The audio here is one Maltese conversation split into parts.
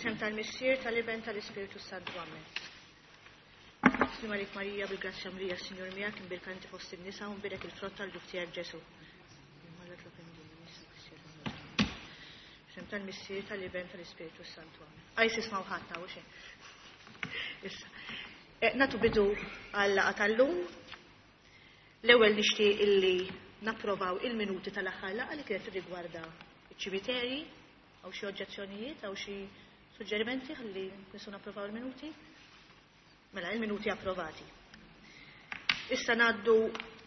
Fl-isem tal-Missier, tal-Iben, tal-Ispirtu Santu. Amen. Slima lik Marija, bil-grazzja mlija, Sinjur miegħek, imbierka inti fost in-nisa u mbierek il-frott tal-ġuf tiegħek Ġesu. Fl-isem tal-Missier, tal-Iben, tal-Ispirtu Santu. Amen. Għaj sisma' ħadd hawn xejn. Issa. Eh, natu bidu għal-laqgħa tal-lum. L-ewwel nixtieq illi napprovaw il-minuti tal-aħħar laqgħa li kienet rigwarda iċ-ċimiterji. Hawn xi oġġezzjonijiet, hawn xi suġġerimenti ħalli nistgħu napprovaw il-minuti? Mela, il-minuti approvati. Issa ngħaddu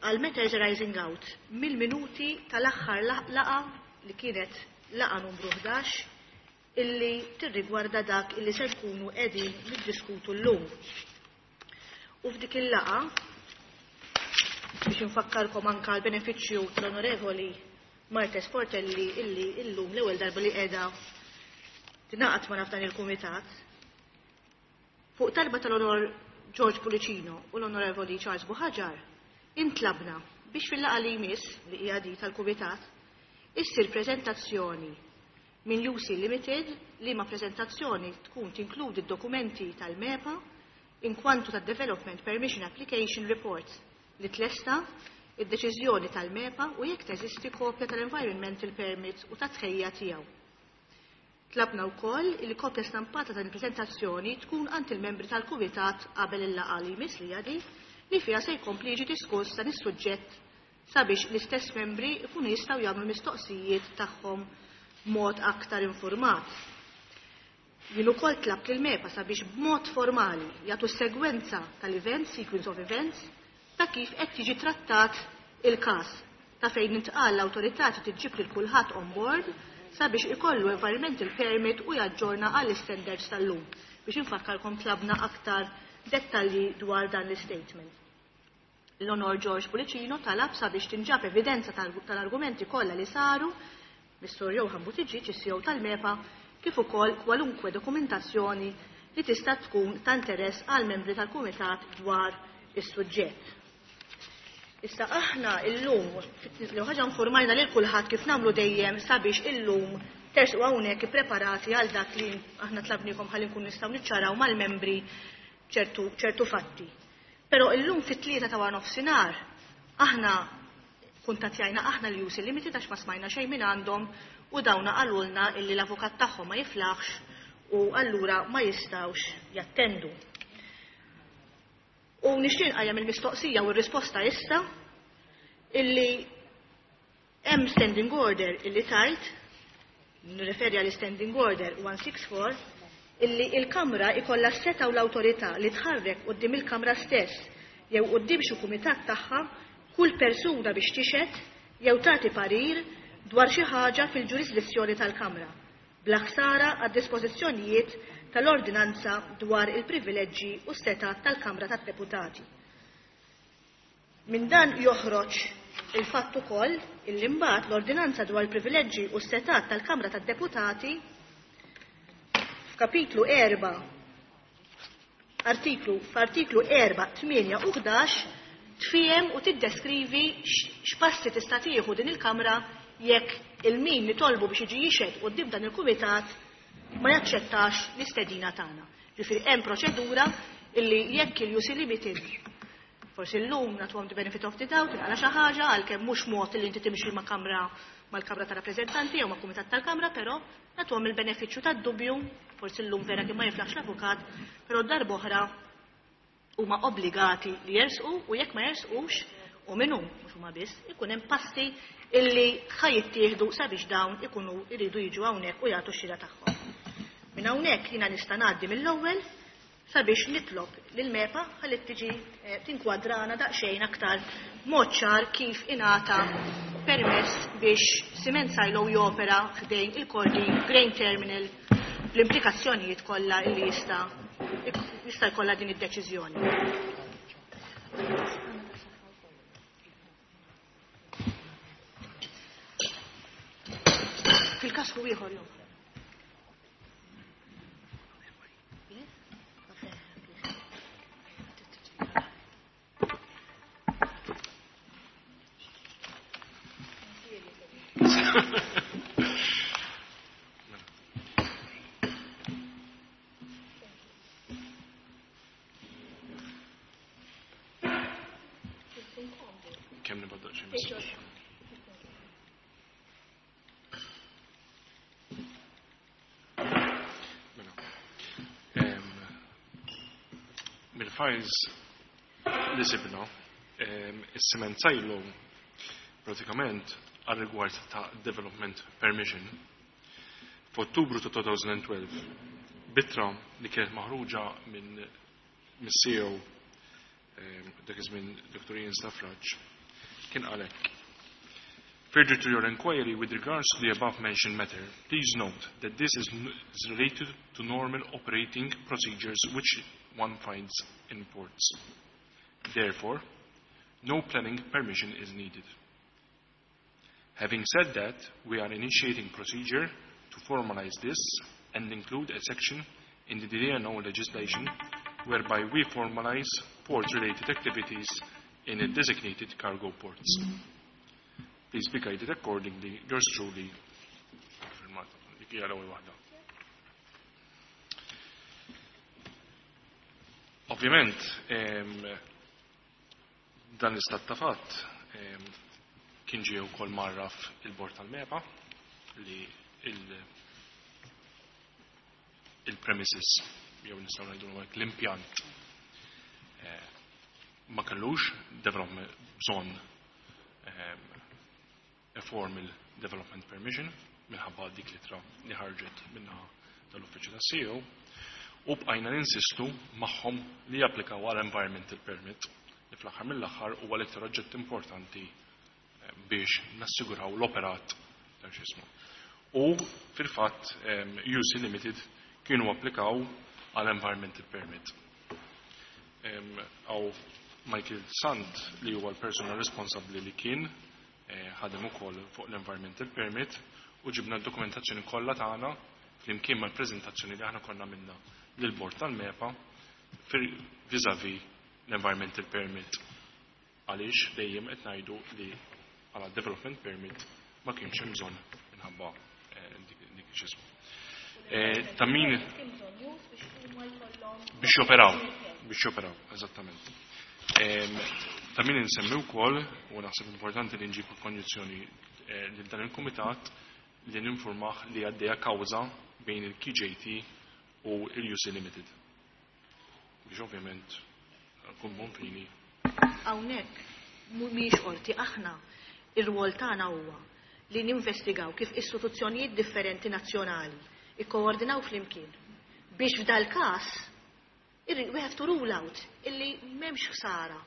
għal matters arising out mill-minuti tal-aħħar laqgħa li kienet laqgħa numru 11 illi tirrigwarda dak illi se nkunu qegħdin niddiskutu llum. U f'dik il-laqgħa biex infakkarkom anka l-benefiċċju tal-Onorevoli Martes Portelli illi illum l-ewwel darba li qiegħda tingħaqad ma' f'dan il-kumitat. Fuq talba tal-Onor George Pulicino u l-Onorevoli Charles Buhaġar, intlabna biex fil-laqgħa li jmiss li hija di tal-kumitat issir preżentazzjoni minn UC Limited li ma preżentazzjoni tkun tinkludi d-dokumenti tal-MEPA inkwantu ta' Development Permission Application Report li tlesta id-deċiżjoni tal-MEPA u jekk teżisti kopja tal-Environmental Permit u ta' tħejja tiegħu. Tlabna wkoll li kopja stampata ta' il-preżentazzjoni tkun għand il-membri tal-kumitat qabel il-laqgħa li jmiss li jadi li fiha se jkompli jiġi diskuss dan is-suġġett sabiex l-istess membri jkunu jistgħu jagħmlu mistoqsijiet tagħhom b'mod aktar informat. Jien ukoll tlabt lil MEPA sabiex b'mod formali jagħtu segwenza tal-events, sequence of events, ta' kif qed jiġi trattat il-każ ta' fejn intqal l-awtorità trid iġġib lil kulħadd on board sabiex ikollu environmental permit u jaġġorna għall standards tal-lum. Biex infakkarkom tlabna aktar dettalji dwar dan l-statement. L-Onor George Pulicino talab sabiex tinġab evidenza tal-argumenti kollha li saru Mr. Johan Buttigieg, is-CEO tal-MEPA, kif ukoll kwalunkwe dokumentazzjoni li tista' tkun ta' interess għal membri tal-Kumitat dwar is-suġġett. Issa aħna illum, l ħaġa informajna lil kulħadd kif nagħmlu dejjem sabiex illum tersqu hawnhekk ippreparati għal dak li aħna tlabnikom ħalli nkun nistgħu niċċaraw mal-membri ċertu, ċertu fatti. Però illum fit-3 ta' wara nofsinhar aħna kuntattjajna aħna l UC Limited għax ma smajna xejn minn għandhom u dawna qalulna illi l-avukat tagħhom ma jiflaħx u allura ma jistgħux jattendu. U nixtieq nqajjem il-mistoqsija u r-risposta issa illi hemm standing order illi tajt, nirreferi għal standing order 164, illi il-Kamra ikollha s-setgħa u l-awtorità li tħarrek quddiem il-Kamra stess jew quddiem xi kumitat tagħha kull persuna biex tixhed jew tagħti parir dwar xi ħaġa fil-ġurisdizzjoni tal-Kamra, bla ħsara għad-dispożizzjonijiet tal-Ordinanza dwar il-privileġġi u s-setgħat tal-Kamra tad-Deputati. Minn dan joħroġ il-fatt ukoll illi mbagħad l-Ordinanza dwar il-privileġġi u s-setgħat tal-Kamra tad-Deputati f'kapitlu 4 artiklu f'artiklu 4, 8 u 11 tfiem u tiddeskrivi x'passi tista' tieħu din il-Kamra jekk il-min nitolbu biex jiġi jixhed quddiem dan il-kumitat ma jaċċettax l-istedina tagħna. Ġifieri hemm proċedura illi jekk il-UC Limited forsi llum nagħtuhom the benefit of the doubt inqala xi ħaġa għalkemm mhux mod li inti timxi ma' kamra mal-Kamra ta' Rappreżentanti jew ma' Kumitat tal-Kamra, però nagħtuhom il-benefiċċju tad-dubju, forsi llum vera kien ma jiflaħx l-avukat, però darb'oħra huma obbligati li jersqu u jekk ma jersqux u minnu mhux huma biss, ikun hemm passi illi ħa jittieħdu sabiex dawn ikunu jridu jiġu hawnhekk u jagħtu x-xhieda tagħhom. Minn hawnhekk jiena nista' ngħaddi mill-ewwel sabiex nitlob lil MEPA ħalli tiġi eh, tinkwadrana daqsxejn aktar mod ċar kif ingħata permess biex Cement Silo jopera ħdejn il-Kordin Grain Terminal l-implikazzjonijiet kollha li jista' jista' jkollha din id-deċiżjoni. Fil-każ hu ieħor jew. Mela. Mill-files li sibna, is-cement silo pratikament għal rigward ta' development permission f'Ottubru ta' 2012 b'ittra li kienet maħruġa minn mis-CEO dak iż-żmien Dr. Ian Stafrace kien qal hekk. Further to your inquiry with regards to the above mentioned matter, please note that this is related to normal operating procedures which one finds in ports. Therefore, no planning permission is needed. Having said that, we are initiating procedure to formalize this and include a section in the DNO legislation whereby we formalize port-related activities in a designated cargo ports. Please be guided accordingly. Yours truly, firmata. Dik hija l-ewwel waħda. Ovvjament, dan l-istat ta' fatt kien ġie wkoll mgħarraf il-bord tal-MEPA li il-premises jew nistgħu ngħidu hekk l-impjant ma kellux development bżonn a formal development permission minħabba dik l-ittra li ħarġet minna tal-uffiċċju tas-CEO u bqajna ninsistu magħhom li japplikaw għal environmental permit li fl-aħħar mill-aħħar huwa l-iktar oġġett importanti biex nassiguraw l-operat ta' x'ismu. U fil-fatt UC Limited kienu applikaw għal environmental permit. Għaw Michael Sant li huwa l-persuna responsabbli li kien ħadem ukoll fuq l-environmental permit u ġibna d-dokumentazzjoni kollha tagħna flimkien mal-preżentazzjoni li aħna konna minna lill-bord tal-MEPA vis-à-vis l-environmental permit. Għaliex dejjem qed ngħidu li għala development permit ma kienx hemm bżonn minħabba dik x'ismu. Ta' min biex joperaw, biex joperaw, eżattament. Ta' min insemmi wkoll, u naħseb importanti li nġibu konjizzjoni lil dan il-kumitat li ninformah li għaddejja kawża bejn il-KJT u il-UC Limited. Biex ovvjament kun bonfini. Hawnhekk mhumiex qorti, aħna ir-rwol tagħna huwa li ninvestigaw kif istituzzjonijiet differenti nazzjonali ikkoordinaw flimkien biex f'dal każ we have to rule out illi m'hemmx ħsara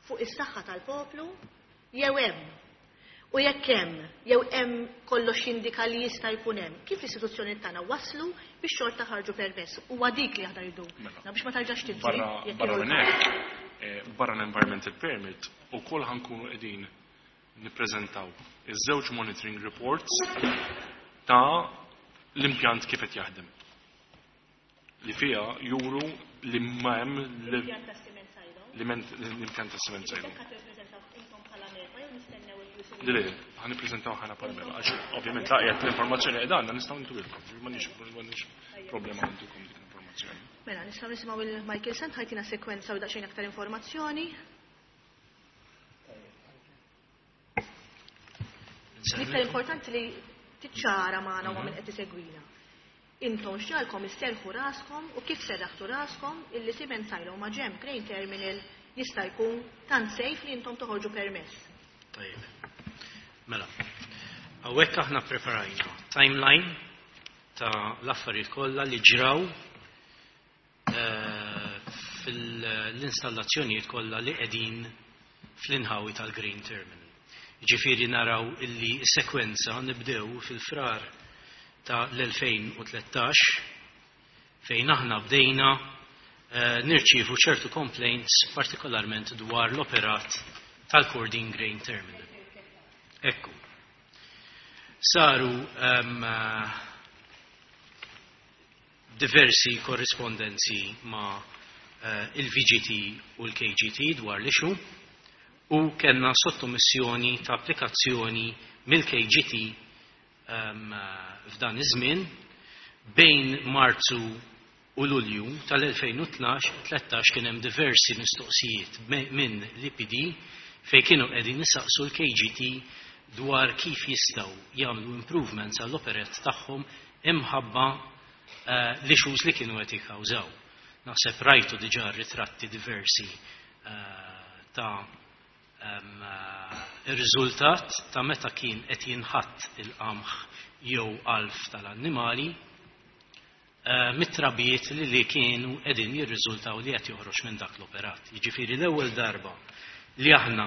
fuq is-saħħa tal-poplu jew hemm. U jekk hemm, jew hemm kollox jindika li jista' jkun hemm, kif l-istituzzjoni tagħna waslu biex xorta ħarġu permess. Huwa dik li aħna rridu. Mela. Na biex ma tarġax tiġri. Barra, jekk barra irridu. minn hekk, barra l-environmental permit, ukoll ħankunu qegħdin nippreżentaw iż-żewġ monitoring reports ta' l-impjant kif qed jaħdem. Li fiha juru li ma hemm L-impjant ta' cement silo. L-impjant ta' cement silo. Jekk ħadd ippreżentaw intom bħala MEPA jew nistennew il-UC Le, le, ħa nippreżentaw ħana bħala MEPA, għax ovvjament laqgħet l-informazzjoni qed għandna nistgħu ntuilkom, m'għandniex problema ntukom dik l-informazzjoni. Mela, nistgħu nisimgħu il Michael Sant ħajtina sekwenza u daqsxejn aktar informazzjoni. L-iktar importanti li tiċċara magħna u min qed isegwina. Intom x'ġalkom isserħu raskom u kif serraħtu raskom illi cement silo ma' ġenb Grain Terminal jista' jkun tant safe li intom toħorġu permess. Tajjeb. Mela, hawnhekk aħna preparajna timeline ta' l-affarijiet kollha li ġraw fil-installazzjonijiet kollha li qegħdin fl-inħawi tal-Grain Terminal. Ġifieri naraw illi sekwenza nibdew fil-frar ta' l-2013 fejn aħna bdejna nirċievu ċertu complaints partikolarment dwar l-operat tal-Kordin Grain Terminal. Ekku. Saru diversi korrispondenzi ma' il-VGT u l-KGT dwar l-issue u kellna sottomissjoni ta' applikazzjoni mill-KGT f'dan iż-żmien bejn Marzu u Lulju tal-2013 kien hemm diversi mistoqsijiet minn l-EPD. fejn kienu qegħdin isaqsu l-KGT dwar kif jistgħu jagħmlu improvements għall-operat tagħhom imħabba l-issues li kienu qed jikkawżaw. Naħseb rajtu diġà ritratti diversi ta' ir-riżultat ta' meta kien qed jinħatt il-qamħ jew għalf tal-annimali mit-trabijiet li kienu qegħdin jirriżultaw li qed joħroġ minn dak l-operat. Jiġifieri l-ewwel darba li aħna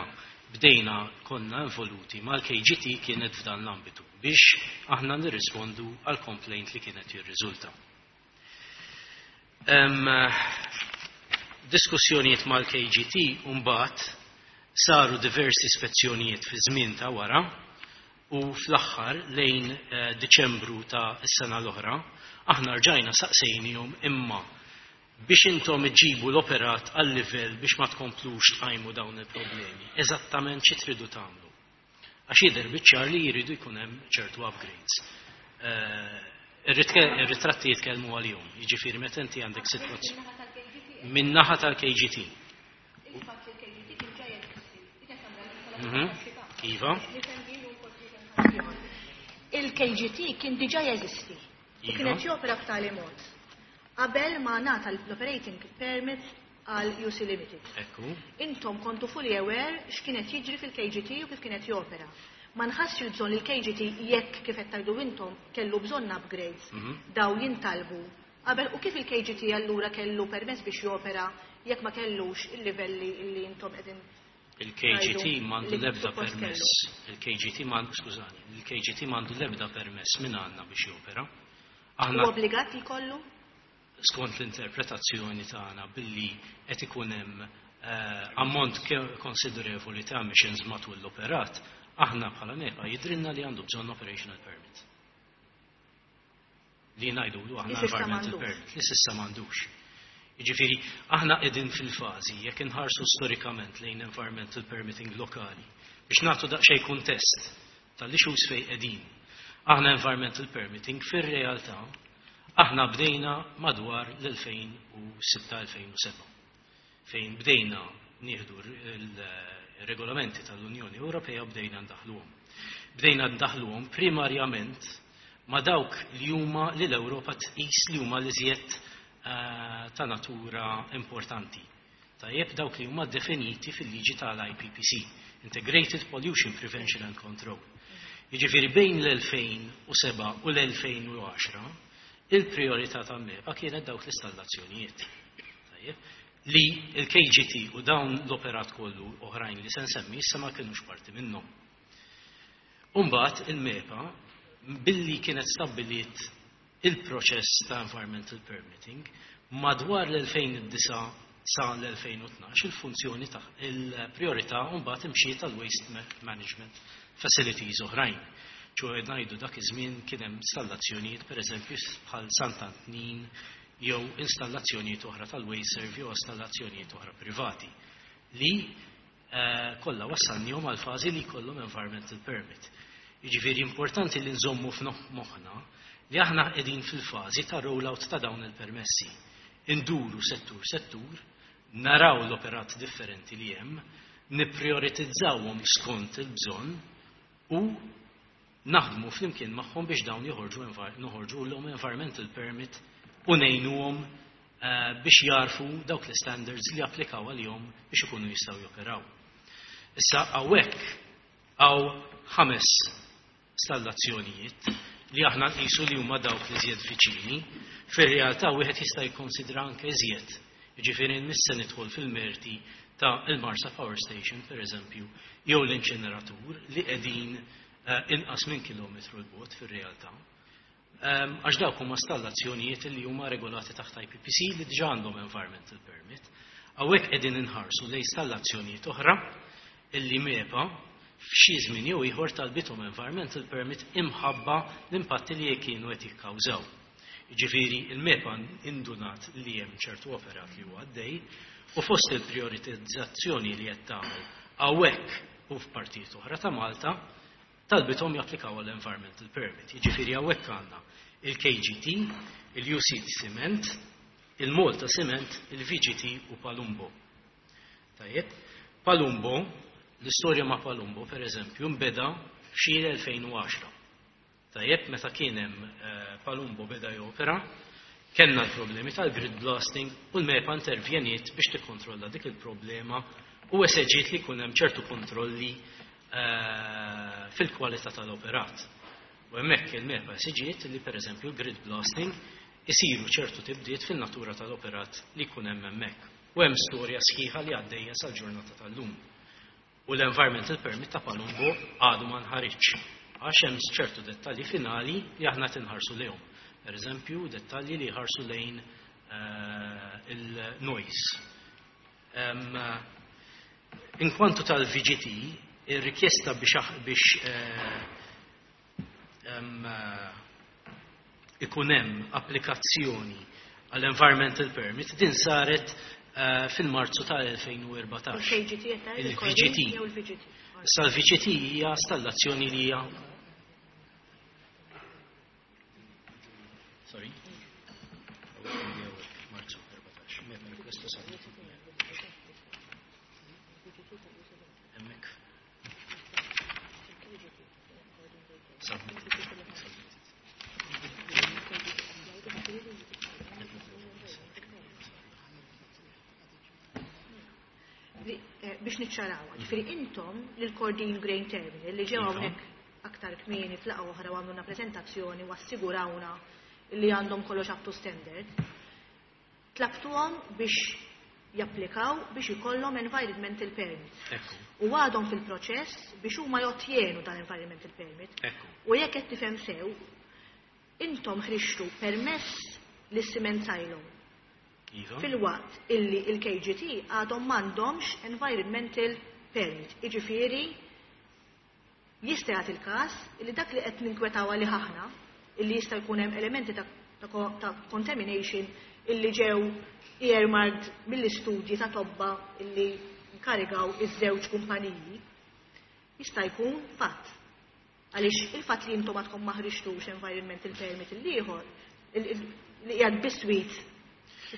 bdejna konna involuti mal-KGT kienet f'dan l-ambitu biex aħna nirrispondu għal complaint li kienet jirriżulta. Diskussjonijiet mal-KGT mbagħad saru diversi spezzjonijiet fi żmien ta' wara u fl-aħħar lejn Diċembru ta' s-sena l-oħra aħna rġajna saqsejnihom imma biex intom iġibu l-operat għal livell biex ma tkomplux tqajmu dawn il-problemi. Eżattament xi tridu tagħmlu? Għax jidher biċ-ċar li jridu jkun hemm ċertu upgrades. Ir-ritratti jitkellmu għalihom, jiġifieri meta inti għandek sitwazzjoni min-naħa tal-KGT. Iva. Il-KGT kien diġà jeżisti u kienet jopera b'tali mod qabel ma ngħata l-operating permit għal UC Limited. Ekku. Intom kontu fully aware x'kienet jiġri fil-KGT u kif kienet jopera. Ma nħassx il-bżonn li l-KGT, jekk kif qed tgħidu intom kellu bżonn upgrades, daw jintalbu qabel, u kif il-KGT allura kellu permess biex jopera jekk ma kellux il-livelli li intom qegħdin Il-KGT tgħidu m'għandu li l-ebda suppost permess. kellu? Il-KGT m'għandu, skużani, il-KGT m'għandu l-ebda permess minn għandna biex jopera. U Aħna obbligat li jkollu? Skont l-interpretazzjoni tagħna, billi qed ikun hemm ammont konsiderevoli ta' emissions matul l-operat, aħna bħala MEPA jidrinna li għandu bżonn operational permit. Li ngħidulu aħna Li s'issa environmental m'għandux. permit, li s'issa m'għandux. Jiġifieri aħna qegħdin fil-fażi, jekk inħarsu storikament lejn environmental permitting lokali, biex nagħtu daqsxejn kuntest tal-issues fejn qegħdin. Aħna environmental permitting fir-realtà aħna bdejna madwar l-2006-2007, fejn bdejna nieħdu il-regolamenti tal-Unjoni Ewropea u bdejna ndaħluhom. Bdejna ndaħluhom primarjament ma' dawk li huma li l-Ewropa tqis li huma l-iżjed ta' natura importanti. Tajjeb, dawk li huma definiti fil-liġi tal-IPPC, Integrated Pollution Prevention and Control. Jiġifieri bejn l-2007 u l-2010 il-priorità ta' MEPA kienet dawk l-installazzjonijiet. Tajjeb, li il-KGT u dawn l-operat kollu oħrajn li se nsemmi issa ma kienux parti minnhom. Umbagħad il-MEPA, billi kienet stabbiliet il-proċess ta' environmental permitting, madwar l-2009 sa l-2012 il-funzjoni ta' il-priorità mbagħad imxiet tal-waste management facilities oħrajn. ċoè ngħidu dak iż-żmien kien hemm installazzjonijiet, pereżempju bħal Sant'Antnin, jew installazzjonijiet oħra tal-waste jew installazzjonijiet oħra privati li kollha wassalnihom għal fażi li jkollhom environmental permit. Jiġifieri importanti li nżommu f'moħħna li aħna qegħdin fil-fażi ta' rollout ta' dawn il-permessi. Induru settur settur, naraw l-operat differenti li hemm, nipprioritizzawhom skont il-bżonn u naħdmu flimkien magħhom biex dawn joħorġu noħorġu l environmental permit u ngħinuhom biex jarfu dawk l-standards li applikaw għalihom biex ikunu jistgħu joperaw. Issa hawnhekk hawn ħames installazzjonijiet li aħna nqisu li huma dawk li żjed viċini, fir-realtà wieħed jista' jikkonsidra anke iżjed. Jiġifieri mhux se nidħol fil-merti ta' il-Marsa Power Station, per eżempju, jew l-inċineratur li qegħdin inqas minn kilometru l-bogħod fir-realtà. Għax dawk huma installazzjonijiet li huma regolati taħt IPPC li diġà għandhom environmental permit. Hawnhekk qegħdin inħarsu lejn installazzjonijiet oħra illi MEPA f'xi żmien jew ieħor talbithom environmental permit imħabba l-impatti li kienu qed jikkawżaw. Jiġifieri il-MEPA indunat li hemm ċertu operat li huwa għaddej u fost il-prioritizzazzjoni li qed tagħmel hawnhekk u f'partijiet oħra ta' Malta talbithom japplikaw għall-environmental permit. Jiġifieri hawnhekk għandna il-KGT, il-UC Cement, il-Malta Cement, il-VGT u Palumbo. Tajjeb, Palumbo. L-istorja ma' Palumbo, per eżempju, nbeda f'xi 2010. Tajjeb, meta kien hemm Palumbo beda jopera, kellna l-problemi tal-grid blasting u l-MEPA intervjeniet biex tikkontrolla dik il-problema u eseġiet li jkun hemm ċertu kontrolli fil-kwalità tal-operat. U hemmhekk il-MEPA esiġiet li pereżempju l-grid blasting isiru ċertu tibdiet fin-natura tal-operat li jkun hemm hemmhekk. U hemm storja sħiħa li għaddejja sal-ġurnata tal-lum. U l-environmental permit ta' Palumbo għadu ma nħariġx għax hemm ċertu dettalji finali li aħna tinħarsu lejhom. Per eżempju, dettalji li jħarsu lejn il-noise. Inkwantu tal-VGT, ir-rikjesta biex ikun hemm applikazzjoni għall-environmental permit din saret fil-Marzu tal-2014. Il-VGT. Il-VGT. Issa l-VGT hija stallazzjoni li hija Sorry. Marzu 14. Request submitted. Hemmhekk. Submitted. Biex niċċaraw, ġifieri intom lil Kordin Grain Terminal li ġew hawnhekk aktar kmieni f'laqgħa oħra u għamluna preżentazzjoni u assigurawna li għandhom kollox up to standard, tlabtuhom biex japplikaw biex ikollhom environmental permit. U għadhom fil-proċess biex huma jottjenu dan environmental permit. U jekk qed tifhem sew, intom ħrixtu permess lis-cement silo. Iva. Fil-waqt illi il-KGT għadhom m'għandhomx environmental permit. Jiġifieri jista' jagħti il-każ illi dak li qed ninkwetaw għalih aħna, illi jista' jkun hemm elementi ta' contamination illi ġew earmarked mill-istudji ta' tobba illi nkarigaw iż-żewġ kumpaniji, jista' jkun fatt. Għaliex il-fatt li intom għadkom ma ħriġtux environmental permit il-ieħor, li qiegħed biswit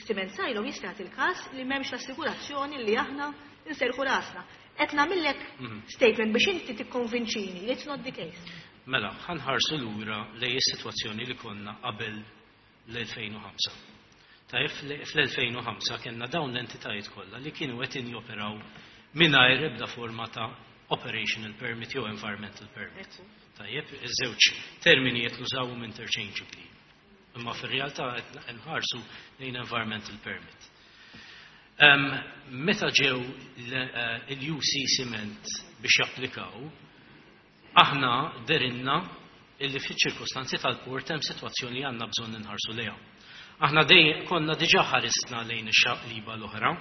cement silo jista' jagħti il-każ li m'hemmx l-assigurazzjoni li aħna nserħu rasna. Qed nagħmillek statement biex inti tikkonvinċini li it's not the case. Mela, ħa nħarsu lura lejn is-sitwazzjoni li konna qabel l-2005. Tajjeb, fl-2005 kellna dawn l-entitajiet kollha li kienu qed joperaw mingħajr ebda forma ta' operational permit jew environmental permit. Tajjeb, iż-żewġ termini qed nużawhom interchangeably. Imma fir-realtà qed nħarsu lejn environmental permit. Meta ġew il-UC Cement biex japplikaw, aħna derinna illi fiċ-ċirkostanzi tal-port hemm sitwazzjoni li għandna bżonn inħarsu lejha. Aħna dej konna diġà ħarisna lejn ix-xaqliba l-oħra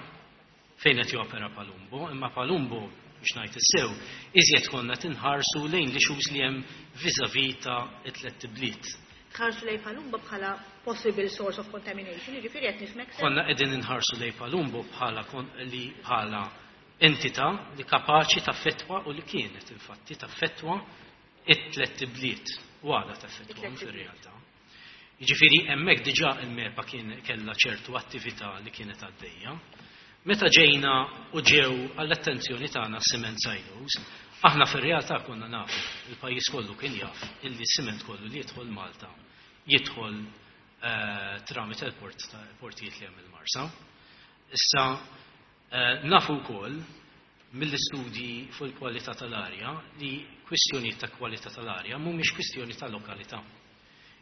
fejn qed jopera Palumbo, imma Palumbo biex ngħid is-sew, iżjed konna tinħarsu lejn l-issues li hemm vis-à-vis ta' it-tliet ibliet. Tħarsu lejn Palumbo bħala possible source of contamination, jiġifieri qed nifhmek sew. Konna qegħdin inħarsu lejn Palumbo bħala li bħala entità li kapaċi taffettwa u li kienet infatti taffettwa it-tliet ibliet u għadha taffettwahom fir-realtà. Jiġifieri hemmhekk diġà il-MEPA kien kellha ċertu attività li kienet għaddejja. Meta ġejna u ġew għall-attenzjoni tagħna cement silos, aħna fir-realtà konna nafu, il-pajjiż kollu kien jaf illi cement kollu li jidħol Malta jidħol tramite l-port portijiet li hemm il-Marsa. Issa nafu wkoll mill-istudji fuq il-kwalità tal-arja li kwistjonijiet ta' kwalità tal-arja mhumiex kwistjoni ta' lokalità.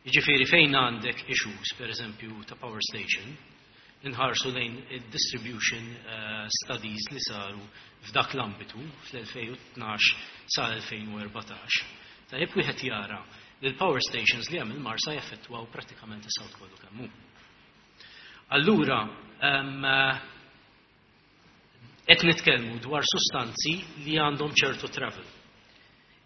Jiġifieri fejn għandek issues, per eżempju, ta' power station, inħarsu lejn il-distribution studies li saru f'dak l-ambitu fl-2012 sa 2014. Tajjeb wieħed jara li l-power stations li hemm il-Marsa jaffettwaw prattikament is-South kollu kemm hu. Allura, qed nitkellmu dwar sustanzi li għandhom ċertu travel.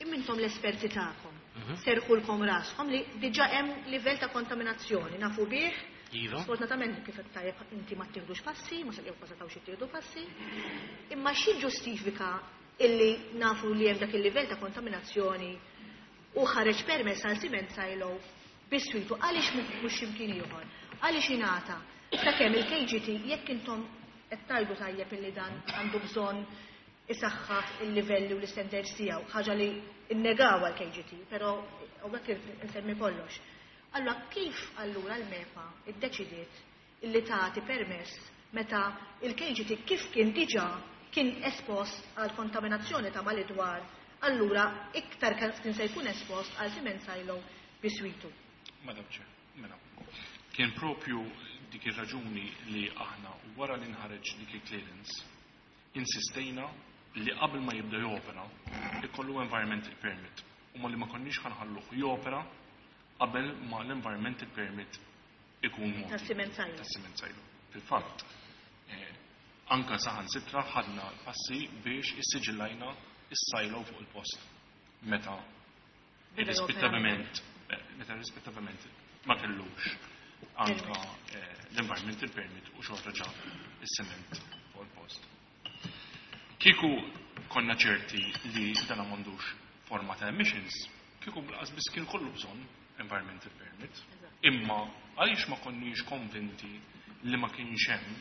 Imma intom l-esperti tagħkom, serħulkom raskom li diġà hemm livell ta' kontaminazzjoni, nafu bih. Iva. Sfortunatament kif qed tajjeb inti ma tieħdux passi, ma jew ma setgħux jittieħdu passi. Imma xi ġustifika illi nafu li hemm dak il-livell ta' kontaminazzjoni u ħareġ permess għal cement silo biswitu għaliex mhux x'imkien ieħor? Għaliex ingħata sakemm il-KGT jekk intom qed tgħidu tajjeb illi dan għandu bżonn. Isaħħaħ il-livelli u l-istandards tiegħu, ħaġa li nnegawha l-KGT, però hawnhekk insemmi kollox. Allura kif allura l-MEPA ddeċidiet illi tagħti permess meta il-KGT kif kien diġà kien espost għal kontaminazzjoni ta' mal-idwar, allura iktar kien se jkun espost għal cement silo biswitu? Madam Chair, mela, kien propju dik ir-raġuni li aħna wara li nħareġ dik il-clearance insistejna li qabel ma jibda jopera ikollu environmental permit u ma li ma konniex ħa nħalluh jopera qabel ma l-environmental permit ikun mogħti. Tas-cement silo. Tas-cement silo. Fil-fatt, anka saħansitra ħadna passi biex issiġillajna is-silo fuq il-post meta irrispettivament meta irrispettivament ma kellux anka l-environmental permit u xorta ġab is-cement fuq il-post. Kieku konna ċerti li dan m'għandux forma ta' emissions, kieku lanqas biss kien kollu bżonn environmental permit. Imma għaliex ma konniex konvinti li ma kienx hemm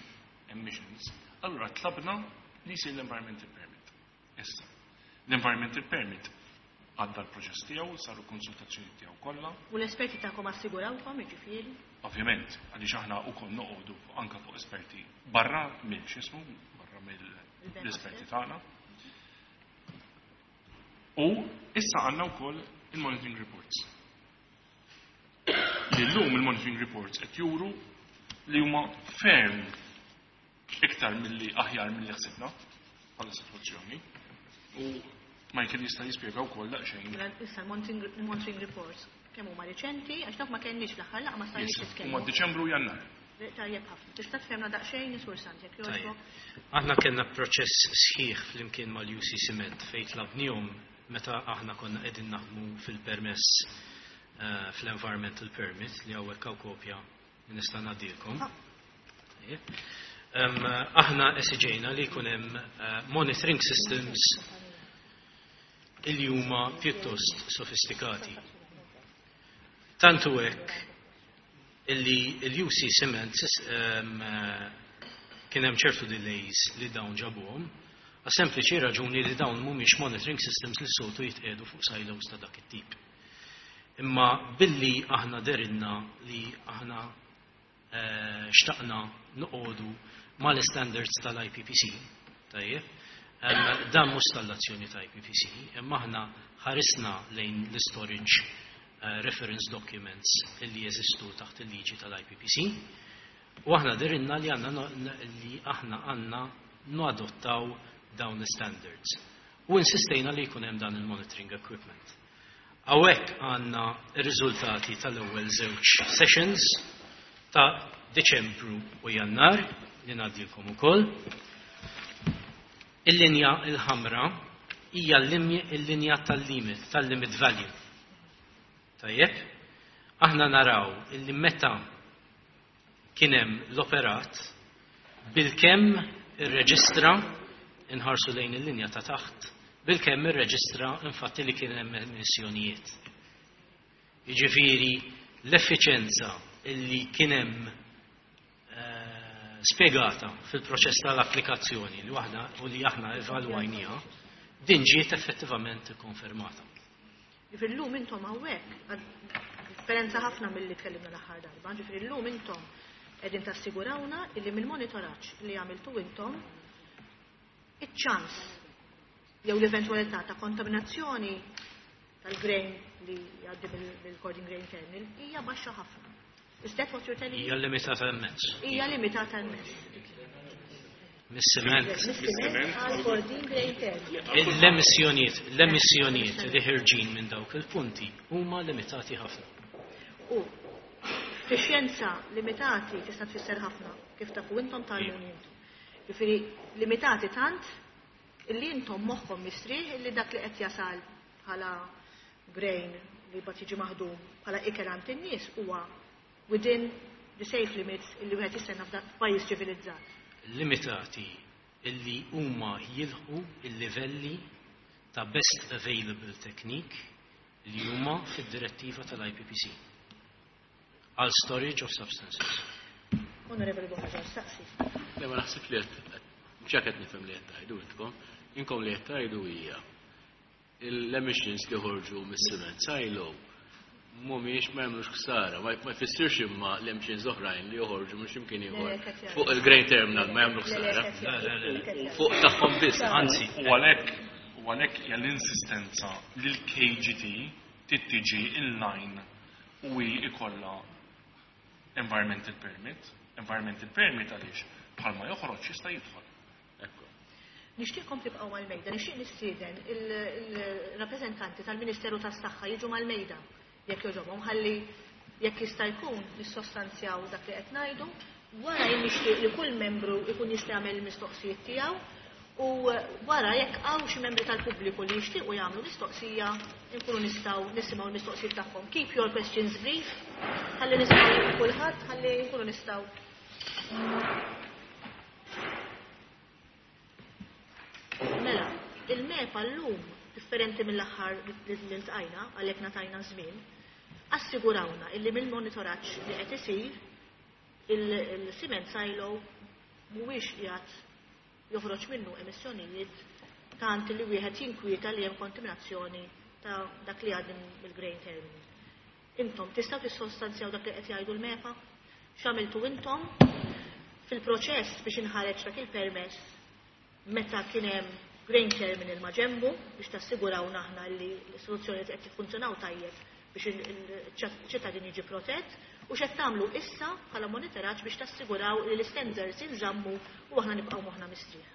emissions, allura tlabna li jsir l-environmental permit. Issa, l-environmental permit għadda l-proċess tiegħu, saru konsultazzjoni tiegħu kollha. U l-esperti tagħkom assigurawkom, jiġifieri? Ovvjament, għaliex aħna wkoll noqogħdu anka fuq esperti barra mill x'ismu, barra mill-esperti tagħna. U issa għandna wkoll il-monitoring reports. Li llum il-monitoring reports qed juru li huma ferm iktar milli aħjar milli ħsibna bħala sitwazzjoni. U Michael jista' jispjega wkoll daqsxejn. Mela, issa l-monitoring reports kemm huma riċenti, għax dawk ma kenniex fl-aħħar laqgħa ma stajniex nitkellmu. Huma Diċembru u Jannar. Tajjeb ħafna. Tista' tfehmna daqsxejn, Sur Sant, jekk jogħġbok? Aħna kellna proċess sħiħ flimkien mal-UC Cement fejn tlabnihom meta aħna konna qegħdin naħdmu fil-permess fl-environmental permit li hawnhekk hawn kopja li nista' ngħaddilkom. Aħna esiġejna li jkun hemm monitoring systems illi huma pjuttost sofistikati. Tantu hekk illi l-UC Cement kien hemm ċertu delays li dawn ġabuhom, għas sempliċi raġuni li dawn mhumiex monitoring systems li soltu jitqiegħdu fuq silos ta' dak it-tip. Imma billi aħna dehrilna li aħna xtaqna noqogħdu mal-standards tal-IPPC, tajjeb, dan mhux stallazzjoni ta' IPPC, imma aħna ħarisna lejn l-storage reference documents illi jeżistu taħt il-liġi tal-IPPC, u aħna dehrilna li għandna li aħna għandna nadottaw dawn l-standards. U insistejna li jkun hemm dan il-monitoring equipment. Hawnhekk għandna r-riżultati tal-ewwel żewġ sessions ta' Deċembru u Jannar li ngħaddilkom ukoll. Il-linja il-ħamra hija l-linja tal-limit, tal-limit value. Tajjeb, aħna naraw illi meta kien hemm l-operat bilkemm irreġistra, inħarsu lejn il-linja ta' taħt, bilkemm irreġistra infatti li kien hemm emissjonijiet. Jiġifieri l-effiċenza illi kien hemm spjegata fil-proċess tal-applikazzjoni li waħda u li aħna evalwajniha, din ġiet effettivament ikkonfermata. Ġifieri llum intom hawnhekk, differenza ħafna milli tkellimna l-aħħar darba, ġifieri llum intom qegħdin tassigurawna illi mill-monitoraġġ li għamiltu intom iċ-ċans jew l-eventwalità ta' kontaminazzjoni tal-grain li jgħaddi mill-Kordin Grain Terminal hija baxxa ħafna. Is that what you're telling me? Hija limitata immens. Hija limitata immens. Mis-siment. Mis-siment għal Kordin Grain Terminal. L-emissjonijiet li ħerġin minn dawk il-punti huma limitati ħafna. U fi xjenza limitati tista' tfisser ħafna kif tafu intom tgħallmuni intom. Jiġifieri limitati tant illi intom moħħkom mistrieħ illi dak li qed jasal bħala grain li bad jiġi maħdum bħala ikel għand in-nies huwa within the safe limits illi wieħed jistenna f'pajjiż ċivilizzat. Limitati illi huma jilħqu il-livelli ta' best available technique li huma fid-direttiva tal-IPPC għal storage of substances. Onorevoli Buhagiar, staqsi. Le, ma naħseb li qed ġa qed nifhem li qed tgħidu intkom. Inkom li qed tgħidu hija l-emissions li ħorġu mis-cement silo mhumiex ma jagħmlux ħsara, ma jfissirx imma l-emissions oħrajn li joħorġu minn x'imkien ieħor fuq il-grain terminal ma jagħmlu ħsara. Fuq tagħhom biss. Anzi, U għalhekk hija l-insistenza li l-KGT trid in-line u hi ikollha environmental permit. Environmental permit għaliex bħalma joħroġ jista' jidħol. Ekku. Nixtieqkom tibqgħu mal-mejda, nixtieq nistieden il-rappreżentanti tal-Ministeru tas-Saħħa jiġu mal-mejda jekk jogħġobhom, ħalli jekk jista' jkun nissostanzjaw dak li qed ngħidu. Wara jien nixtieq li kull membru jkun jista' jagħmel il-mistoqsijiet tiegħu u wara, jekk hawn xi membri tal-pubbliku li jixtiequ jagħmlu mistoqsija, nkunu nistgħu nisimgħu l-mistoqsijiet tagħhom. Keep your questions brief, ħalli nisimgħu lil kulħadd, ħalli nkunu nistgħu. Mela, il-MEPA llum, differenti mill-aħħar li ltqajna, għalhekk ngħatajna żmien, assigurawna illi mill-monitoraġġ li qed isir il-cement silo mhuwiex qiegħed joħroġ minnu emissjonijiet tant li wieħed jinkwieta li hemm kontaminazzjoni ta' dak li għaddi mill-grain terminal. Intom tistgħu tissostanzjaw dak li qed jgħidu l-MEPA? X'għamiltu intom fil-proċess biex inħareġ dak il-permess meta kien hemm grain terminal ma' ġembu biex tassiguraw naħna li l-istituzzjoni qed jiffunzjonaw tajjeb biex il-ċittadin jiġi protett, u x'qed tagħmlu issa bħala monitoraġġ biex tassiguraw li l-standards jinżammu u aħna nibqgħu moħħna mistrieħ?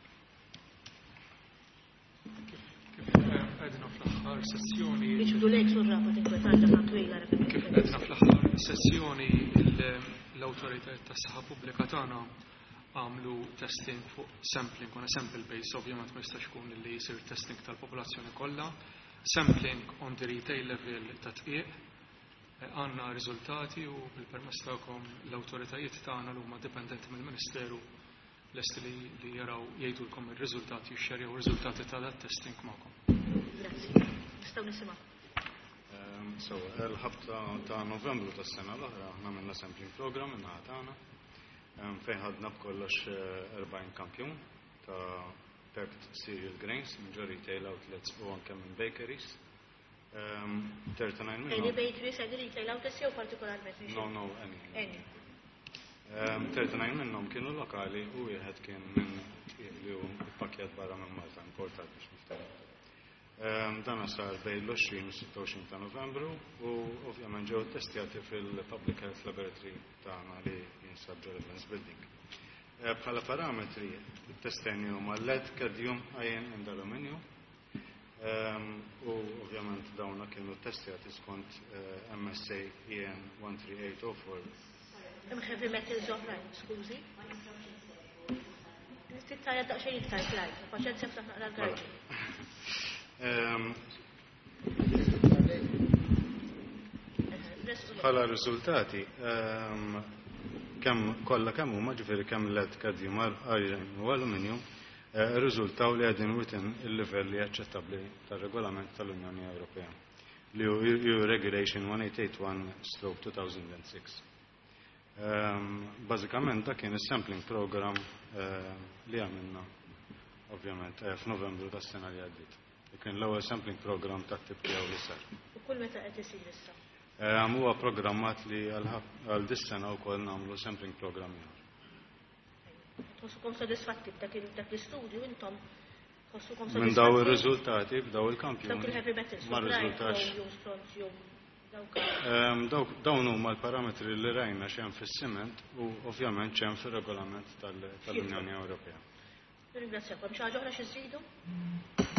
Kif għedna fl-aħħar sessjoni. Iġbdu lejk sur rapa tinkwetarġa ta' twila. Kif għedna fl-aħħar sessjoni, l-awtoritajiet tas-saħħa pubblika tagħna għamlu testing fuq sampling on a sample base, ovvjament ma jistax ikun li jsir testing tal-popolazzjoni kollha, sampling on the retail level ta' dqiq, għandna riżultati u bil-permess tagħkom l-awtoritajiet tagħna li huma dipendenti mill-Ministeru lesti li jaraw jgħidulkom ir-riżultati, jixxerjaw ir-riżultati ta' dat testing magħkom. Grazzi. Nistgħu nisimgħu. So, l-ħabta ta' Novembru tas-sena l-oħra aħna għamilna sampling program min-naħa tagħna fejn ħadna b'kollox 40 kampjun ta' packed cereal grains minn ġo retail outlets u anke minn bakeries. 39 Any minnhom. bakeries, any retail outlets jew partikolarment? No, any. Any. 39 minnhom kienu lokali u wieħed kien minn li hu pakkjat barra minn Malta, importat biex niftaħ. Dan sar bejn l-20 u 26 ta' Novembru u ovvjament ġew testjati fil-Public Health Laboratory tagħna li jinsab ġo Evans Building. Bħala parametri testjajna huma lead, cadmium, iron and aluminium. U ovvjament dawna kienu testjati skont MSA EN 13804. Hemm heavy metals oħrajn, skużi. Tittajja daqsxejn iktar slide, paċenzja, ftaħ naqra l-garġi. Bħala riżultati, kemm kollha kemm huma, ġifieri kemm lead, cadmium, iron u aluminium, riżultaw li qegħdin within il-livelli aċċettabbli tar-regolament tal-Unjoni Ewropea li hu EU Regulation 1881/2006. Bażikament dak kien is-sampling program li għamilna ovvjament f'Novembru tas-sena li għaddiet. Kien l-ewwel sampling program tat-tip tiegħu li sar. U kull meta qed isir issa? Huwa programmat li għal dis-sena wkoll nagħmlu sampling program ieħor. Tħossukom sodisfatti b'dak l-istudju intom? Tħossukom Minn daw sodisfatti? ir-riżultati b'daw il-kampjuni Dawk il-heavy metals, ma oħrajn, rriżultax. chromium, strontium, dawk. Dawn huma l-parametri li rajna x'hemm fis-siment u ovvjament x'hemm fir-regolament tal-Unjoni Ewropea. Ringrazzjakom. Xi ħaġa oħra xi żidu?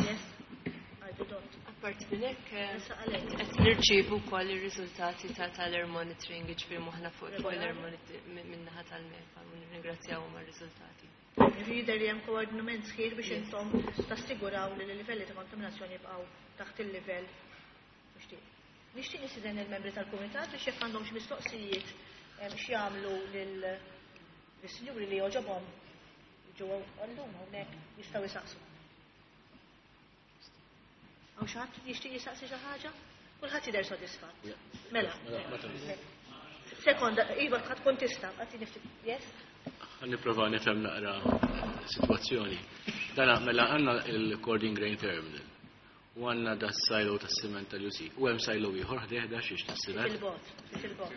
Yes. I do not. Apart minn hekk, Issa għalhekk. qed nirċievu wkoll ir-riżultati tal-air monitoring, jiġifieri moħħna fuq l-air monitoring min-naħa tal-MEPA u nirringrazzjawhom għar-riżultati. Jidher li hemm koordinament sħiħ biex intom tassiguraw li l-livelli ta' kontaminazzjoni jibqgħu taħt il-livell mixtieq. Nixtieq nistieden il-membri tal-kumitat biex jekk għandhom xi mistoqsijiet x'jagħmlu lil-sinjuri li jogħġobhom ġew għallum hawnhekk jistgħu jisaqsu. Hawn xi ħadd jixtieq jisaqsi xi ħaġa? Kulħadd jidher sodisfatt. Mela. Sekonda, iva, ħadd tkun tista', għati niftit. Yes? Ħa nipprova nifhem naqra sitwazzjoni. Dana mela għandna il-Cording Grain Terminal u għandna da silo tas-siment tal-UC. U hemm silo ieħor ħdejh da xiex tas-siment. Fil-bot, fil-bot.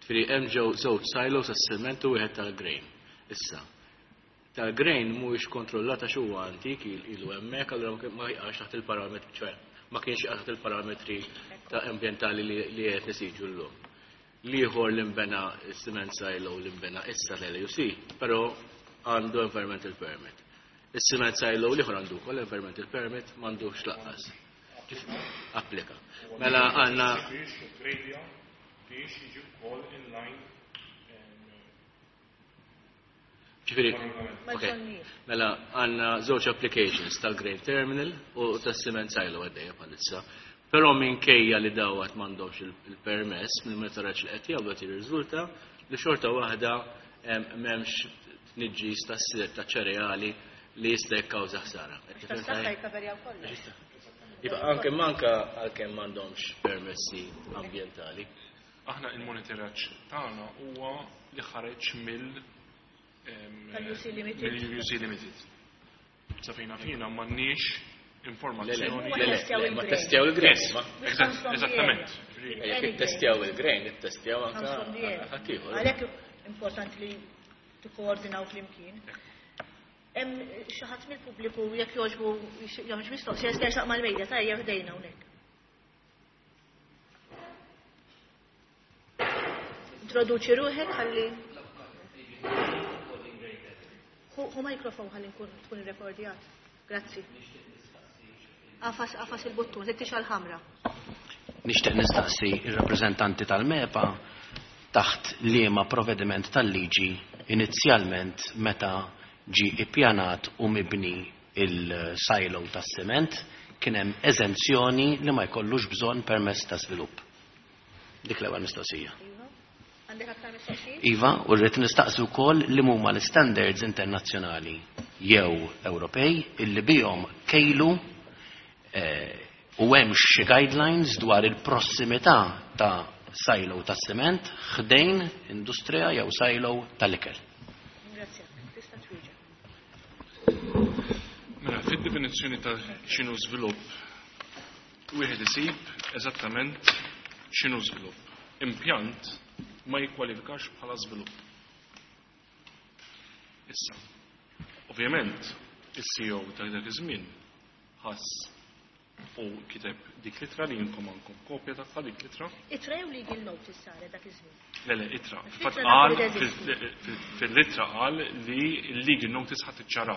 Ġifieri hemm ġew żewġ silos tas-siment u wieħed tal-grain. Issa, tal-grain mhuwiex kontrollat għax huwa antik ilu hemmhekk, allura ma jaqax taħt il-parametri, ċoè ma kienx jaqa' taħt il-parametri ta' ambjentali li qed nesiġu llum. L-ieħor li nbena cement silo li nbena issa l-LUC, però għandu environmental permit. Is-cement silo l-ieħor għandu wkoll environmental permit, m'għandux lanqas. Applika. Mela għandna Biex trade biex jiġi wkoll in line. Ġifieri, ok. Mela għandna żewġ applications tal-Grain Terminal u tas-Cement Silo għaddejja bħalissa. Però minkejja li dawat m'għandhomx il-permess mill-monitoraġġ li qed jagħmlu qed jirriżulta li xorta waħda m'hemmx tniġġis ta' ċereali li jista' jikkawża ħsara. Tas-saħħa jikkaverjaw kollox. Iva, anke manka għalkemm m'għandhomx permessi ambjentali. Aħna il-monitoraġġ tagħna huwa li ħareġ mill Tal-UC Limited. Mill-UC Limited. Sa fejna fina m'għandniex informazzjoni. Le, ma testjaw il-grain. Yes, eżattament. Jekk ittestjaw il-grain, ittestjaw anka ħaddieħor. Għalhekk importanti li tikkoordinaw flimkien. Hemm xi ħadd mill-pubbliku jekk jogħġbu jagħmel mistoqsija jista' jersaq mal-mejda tajjeb ħdejna hawnhekk. Introduċi ruħek ħalli Hu mikrofon ħalli nkun tkun irrekordjat. Grazzi. Agħfas agħfas il-buttun, se tixgħel ħamra. Nixtieq nistaqsi ir-rappreżentanti tal-MEPA taħt liema provvediment tal-liġi inizjalment meta ġi ippjanat u mibni il-silo tas-siment kien hemm eżenzjoni li ma jkollux bżonn permess ta' żvilupp. Dik l-ewwel mistoqsija. Iva. Għandek aktar mistoqsijiet? Iva, u rrid nistaqsi wkoll li huma l-standards internazzjonali jew Ewropej illi bihom kejlu u hemm xi guidelines dwar il-prossimità ta' silo ta' siment ħdejn industrija jew silo tal-ikel. Grazie. Tista' twieġeb. Mela, fid-definizzjoni ta' x'inhu żvilupp, wieħed isib eżattament x'inhu żvilupp. Impjant ma jikkwalifikax bħala żvilupp. Issa, ovvjament, is-CEO ta' dak iż-żmien ħass u kiteb dik l-ittra li jinkom għandkom kopja tagħha dik l-ittra. Ittra jew legal notice saret dak iż-żmien? Le, ittra. Għax Fatt l-ittra qal nafu li teżisti. fil-ittra qal li l-legal notice ħadd iċċara.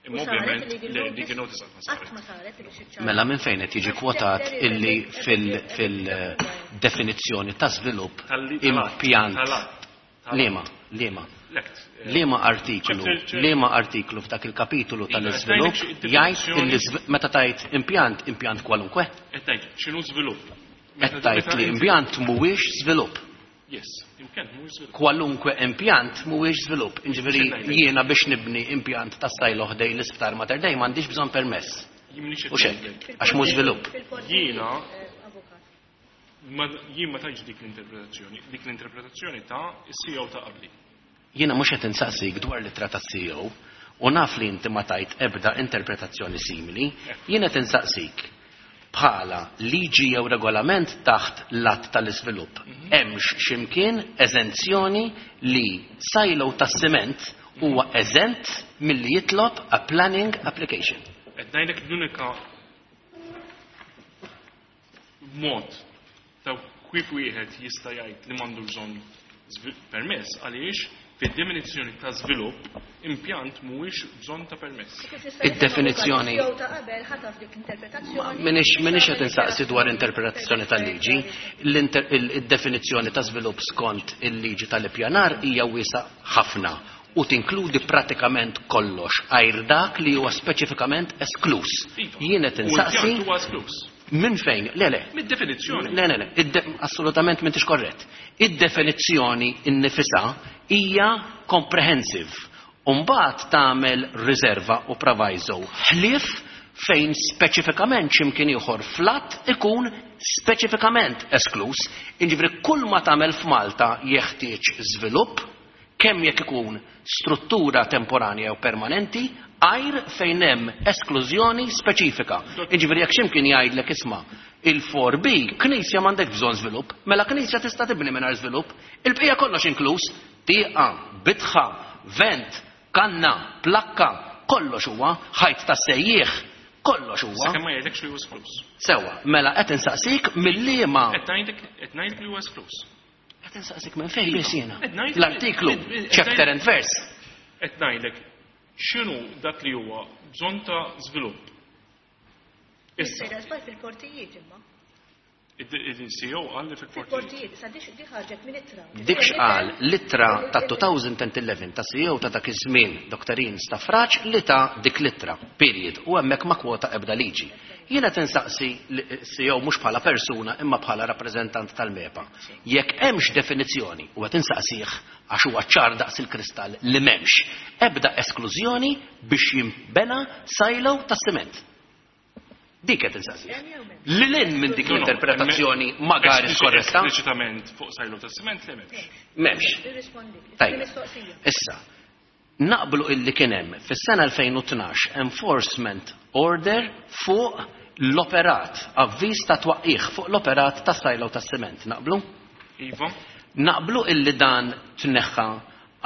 Imma U saret ovvjament il-legal le, notice? legal notice qatt ma Qatt saret. ma saret biex iċċara. Mela minn fejn qed jiġi kwotat illi fil-definizzjoni ta' żvilupp impjant Tal-att. liema, liema. L-act. Liema artiklu, liema artiklu f'dak il-kapitolu Iva, tal-iżvilupp qed ngħidlek jgħid illi meta tajt impjant, impjant kwalunkwe? Qed ngħid x'inhu żvilupp. Qed tgħid li impjant mhuwiex żvilupp. Yes, impjant mhuwiex żvilupp. Kwalunkwe impjant mhuwiex żvilupp. Inġifieri X'qed ngħidlek? jiena biex nibni impjant ta' silo ħdej l-isptar Mater Dei m'għandix bżonn permess. Jien m'iniex U xek, ngħidlek. għax mhux żvilupp. Jiena Avukat. ma jien ma tajtx dik l-interpretazzjoni, dik l-interpretazzjoni ta' is-CEO ta' qabli. Jiena mhux qed insaqsik dwar l-ittra tas-CEO u naf li inti ma tajt ebda interpretazzjoni simili, jien qed insaqsik bħala liġi jew regolament taħt l-att tal-iżvilupp. Hemmx x'imkien eżenzjoni li silo tas-siment huwa eżent milli jitlob a planning application. Qed ngħidlek l-unika mod ta' kif wieħed jista' jgħid li m'għandu bżonn permess għaliex fid-definizzjoni ta' żvilupp impjant mhuwiex bżonn ta' permess. Kif nista' nifhem Id-definizzjoni- avukat, jew ta' qabel ħataf dik l-interpretazzjoni. Minix qed insaqsi dwar interpretazzjoni tal-liġi, id-definizzjoni ta' żvilupp skont il-liġi tal-ippjanar hija wiesa ħafna u tinkludi pratikament kollox għajr dak li huwa speċifikament esklus. Iva. Jien qed U insaqsi l-impjant huwa esklus. minn fejn? Le, le. Mid-definizzjoni. Le, le, le, assolutament m'intix korrett. Id-definizzjoni innifisha hija comprehensive. Umbagħad tagħmel riserva u proviso ħlief fejn speċifikament x'imkien ieħor flat ikun speċifikament esklus. Inġifieri kull ma tagħmel f'Malta jeħtieġ żvilupp, Kemm jekk ikun struttura temporanja jew permanenti, għajr fejn hemm esklużjoni speċifika. Jiġifieri jekk x'imkien jgħidlek isma' il-4B, knisja m'għandekx bżonn żvilupp, mela knisja tista' tibni mingħajr żvilupp, il-bqija kollox inkluż, tieqa, bitħa, vent, kanna, plakka, kollox huwa, ħajt tas-sejjieħ, kollox huwa. Sakemm ma jgħidlekx li huwa eskluż. Sewwa, mela qed insaqsik mill-liema. Qed ngħidlek qed ngħidlek li huwa eskluż. Qed insaqsik minn fejn biss jiena. L-artiklu, chapter and verse. Qed ngħidlek x'inhu dak li huwa bżonn ta' żvilupp. Issa. Fil-portijiet imma. Il-CEO qal li fil-portijiet. Fil-portijiet, issa dik ħarġet minn ittra. Dik x'qal l-ittra ta' 2011 ta' CEO ta' dak iż-żmien, Dr. Ian Stafrace, li ta' dik l-ittra, period, u hemmhekk ma kwota ebda liġi. Jiena qed insaqsi l-CEO mhux bħala persuna imma bħala rappreżentant tal-MEPA. Jekk hemmx definizzjoni, u qed insaqsih għax huwa ċar daqs il-kristall li m'hemmx ebda esklużjoni biex jinbena silo tas-siment. Dik qed insaqsih. Lil hinn minn dik l-interpretazzjoni magari skorretta. Espliċitament fuq silo tas-siment li m'hemmx. M'hemmx. Tajjeb. Issa, naqblu illi kien hemm fis-sena 2012 enforcement order fuq l-operat, avviż ta' twaqqigħ fuq l-operat ta' silo tas-siment. Naqblu? Iva. Naqblu illi dan tneħħa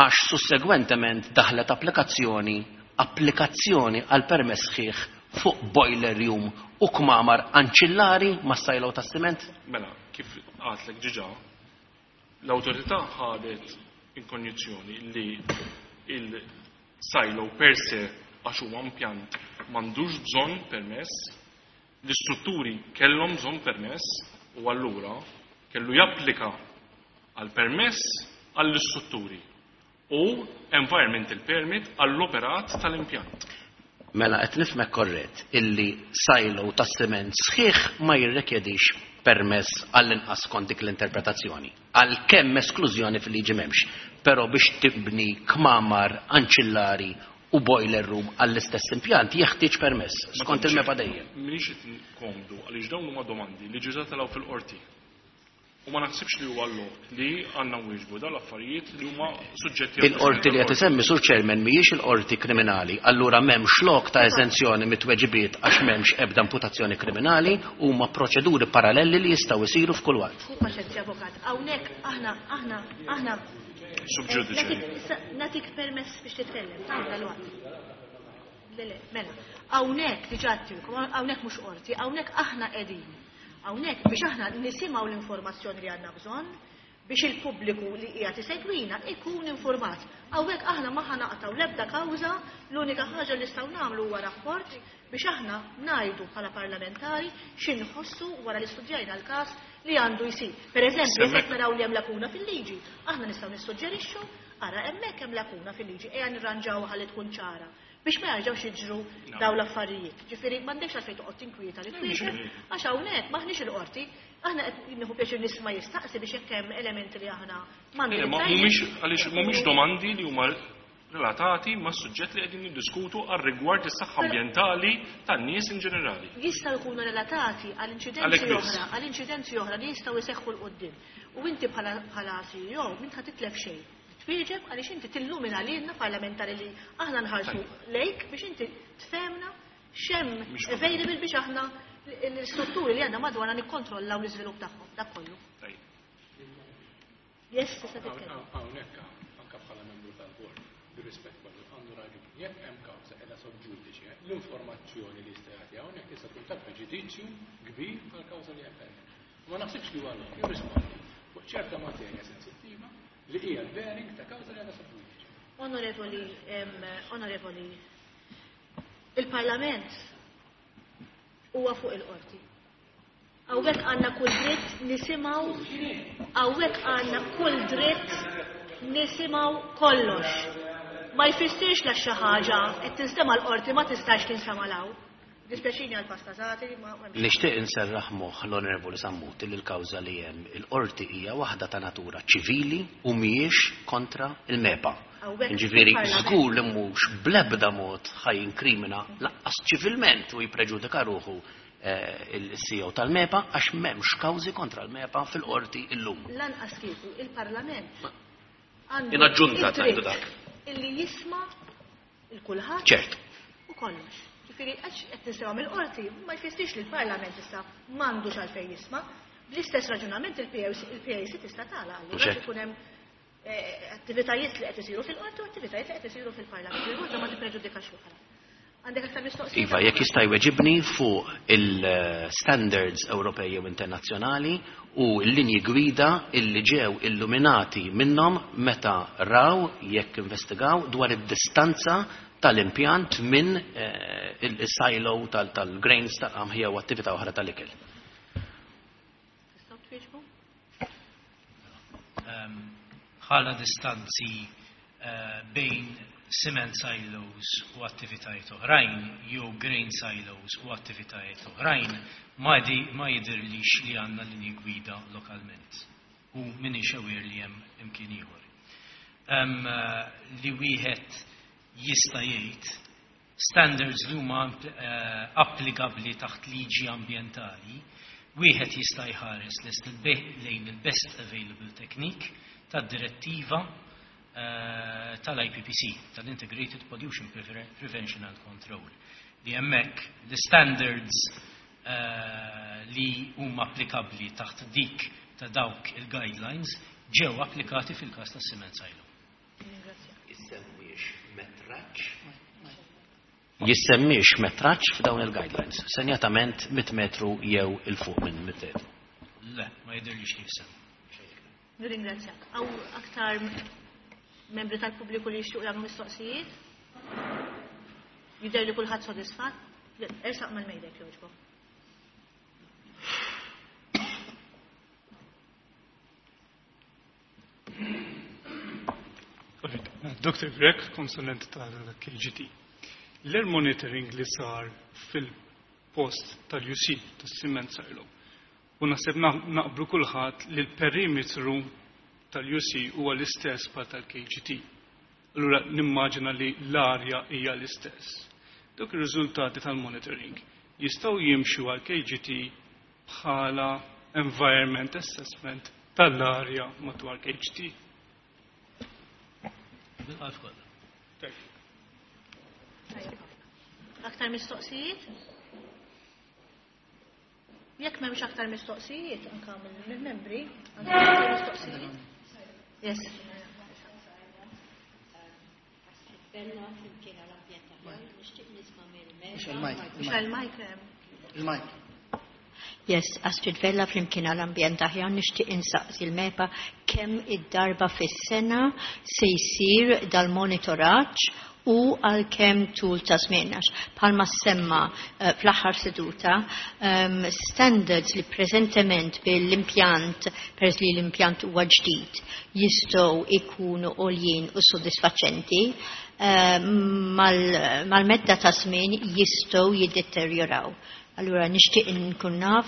għax sussegwentement daħlet applikazzjoni għal permess sħiħ fuq boiler room u kmamar anċillari ma' silo tas-siment? Mela, kif għedtlek diġà, l-awtorità ħadet in konjizzjoni li il-silo per se għax huwa impjant m'għandux bżonn permess, l-istrutturi kellhom bżonn permess u allura kellu japplika għal permess għall-istrutturi u environmental permit għall-operat tal-impjant. Mela qed nifhmek korrett illi silo tas-siment sħiħ ma jirrikjedix permess għall-inqas skont dik l-interpretazzjoni. Għalkemm esklużjoni fil-liġi m'hemmx, però biex tibni kmamar anċillari u boiler room għall-istess impjant jeħtieġ permess skont il-MEPA dejjem. M'iniex qed komdu għaliex dawn huma domandi li ġiġa telgħu fil-qorti. U ma naħsibx li huwa lok li għandna nwieġbu dawn l-affarijiet li huma suġġetti għal Il-qorti li qed isemmi Sur Chairman mhijiex il-qorti kriminali, allura m'hemmx lok ta' eżenzjoni mit-tweġibiet għax m'hemmx ebda imputazzjoni kriminali, huma proċeduri paralleli li jistgħu jsiru f'kull waqt. Hu paċenzja avukat, hawnhekk aħna aħna aħna Sub judice. Nagħtik permess biex titkellem, ta' dal-waqt. Le, le, mela, hawnhekk diġà għedtilkom, hawnhekk mhux qorti, hawnhekk aħna qegħdin. Hawnhekk biex aħna nisimgħu l-informazzjoni li għandna bżonn biex il-pubbliku li qiegħed isegwina ikun informat. Hawnhekk aħna ma ħanaqtaw l-ebda kawża, l-unika ħaġa li nistgħu nagħmlu huwa rapport biex aħna ngħidu bħala parlamentari x'inħossu wara li studjajna l-każ li għandu jsir. Per eżempju, jekk naraw li hemm lakuna fil-liġi, aħna nistgħu nissuġġerixxu ara hemmhekk hemm lakuna fil-liġi, ejja nirranġaw ħalli tkun ċara biex ma jarġgħux jiġru dawn l-affarijiet. Ġifieri m'għandekx għalfejn toqgħod tinkwieta li twieġeb għax hawnhekk m'aħniex il-qorti, aħna qed nieħu pjaċir nisma' jistaqsi biex jekk hemm elementi li aħna ma Mhumiex għaliex mhumiex domandi li huma relatati ma' suġġett li qegħdin niddiskutu għal rigward is-saħħa ambjentali tan-nies in ġenerali. Jistgħu jkunu relatati għal inċidenti oħra, għal inċidenti oħra li jistgħu jseħħu 'l quddiem. U inti bħala CEO m'int ħa titlef xejn. Twieġeb għaliex inti tillumina lilna parlamentari li aħna nħarsu lejk biex inti tfehmna x'hemm available biex aħna l-istrutturi li għandna madwarna nikkontrollaw l-iżvilupp tagħhom. Dak kollu. Yes, tista' titkellem. Hawnhekk anke bħala membru tal-bord, bir-rispett kollu, għandu raġun. Jekk hemm kawża qiegħda sub judice, l-informazzjoni li jista' jagħti hawnhekk tista' tkun ta' preġudizzju kbir għall-kawża li hemm pendenti. Ma naħsibx li huwa lok jirrispondi fuq ċerta materja sensittiva li hija l-bearing ta' kawża li għandha sub judice. Onorevoli, onorevoli, il-Parlament huwa fuq il-qorti. Hawnhekk għandna kull dritt nisimgħu, hawnhekk għandna kull dritt nisimgħu kollox. Ma jfissirx la xi ħaġa qed tinstema' l-qorti ma tistax tinsema' law. Dispjaċini għal pastazati ma Nixtieq inserraħ moħħ l-Onorevoli Sammut li l-kawża li hemm il-qorti hija waħda ta' natura ċivili u mhijiex kontra il-MEPA. Ġifieri żgur li mhux bl-ebda mod ħa jinkrimina lanqas ċivilment u jippreġudika ruħu il-CEO tal-MEPA għax m'hemmx kawżi kontra l-MEPA fil-qorti illum. Lanqas kieku il-Parlament. Għandu In aġġunta id-dritt tgħidu dak. Illi jisma' il-kulħadd Ċert. u kollox. Ġifieri għax qed nisimgħu mill-qorti ma jfissirx li l-Parlament issa m'għandux għalfejn jisma'. Bl-istess raġunament il-PAC tista' tagħlaq allura Ċert. ikun hemm attivitajiet li qed isiru fil-qorti u attivitajiet li qed isiru fil-Parlament. Il-waħda ma tippreġudikax l-oħra. Għandek aktar mistoqsijiet? Iva, jekk jista' jweġibni fuq il-standards Ewropej jew internazzjonali u l-linji gwida illi ġew illuminati minnhom meta raw jekk investigaw dwar id-distanza tal-impjant minn il-silo tal-grains tal-qamħ jew attività oħra tal-ikel. Tistgħu twieġbu? Bħala distanzi bejn cement silos u attivitajiet oħrajn jew grain silos u attivitajiet oħrajn ma jidhirlix li għandna linji gwida lokalment u m'iniex aware li hemm imkien ieħor. Li wieħed jista' jgħid standards li huma applikabbli taħt liġi ambjentali, wieħed jista' jħares lejn il-best available technique tad-direttiva tal-IPPC, tal-Integrated Pollution Prevention and Control, li hemmhekk l-standards li huma applikabbli taħt dik ta' dawk il-guidelines ġew applikati fil-każ tas-cement silo. Jissemmiex metraġġ? Jissemmiex metraġġ f'dawn il-guidelines, senjatament 100 metru jew il fuq minn 100 metru. Le, ma jidhirlix li jissemmi. Nirringrazzjak. Hawn aktar membri tal-pubbliku li jixtiequ jagħmlu mistoqsijiet? Jidher li kulħadd sodisfatt? Le, ersaq mal-mejda jekk jogħġbok. Dr. Grech, konsulent tal-KGT. L-air monitoring li sar fil-post tal-UC, tas-cement silo, u naħseb naqblu kulħadd li l-perimetru tal-UC huwa l-istess bħal tal-KGT. Allura nimmaġina li l-arja hija l-istess. Dawk ir-riżultati tal-monitoring jistgħu jimxu għal KGT bħala environment assessment tal-arja madwar KGT. Bil-qalb kollha. Thank you. Aktar mistoqsijiet? Jekk m'hemmx aktar mistoqsijiet, anke mill-membri, għandek aktar mistoqsijiet? Yes. Bella flimkien għall-ambjent aħjar, nixtieq nisma' Mhux il-mic, Mhux il-mic hemm. Il-mic. Yes, Astrid Vella flimkien għall-ambjent aħjar, nixtieq insaqsi l-MEPA kemm id-darba fis-sena se jsir dal-monitoraġġ u għal kemm tul ta' żmien, għax bħalma semma fl-aħħar seduta, standards li preżentement bil-impjant, peress li l-impjant huwa ġdid, jistgħu ikunu għoljin u sodisfaċenti, mal-medda ta' żmien jistgħu jiddeterjoraw. Allura nixtieq nkun naf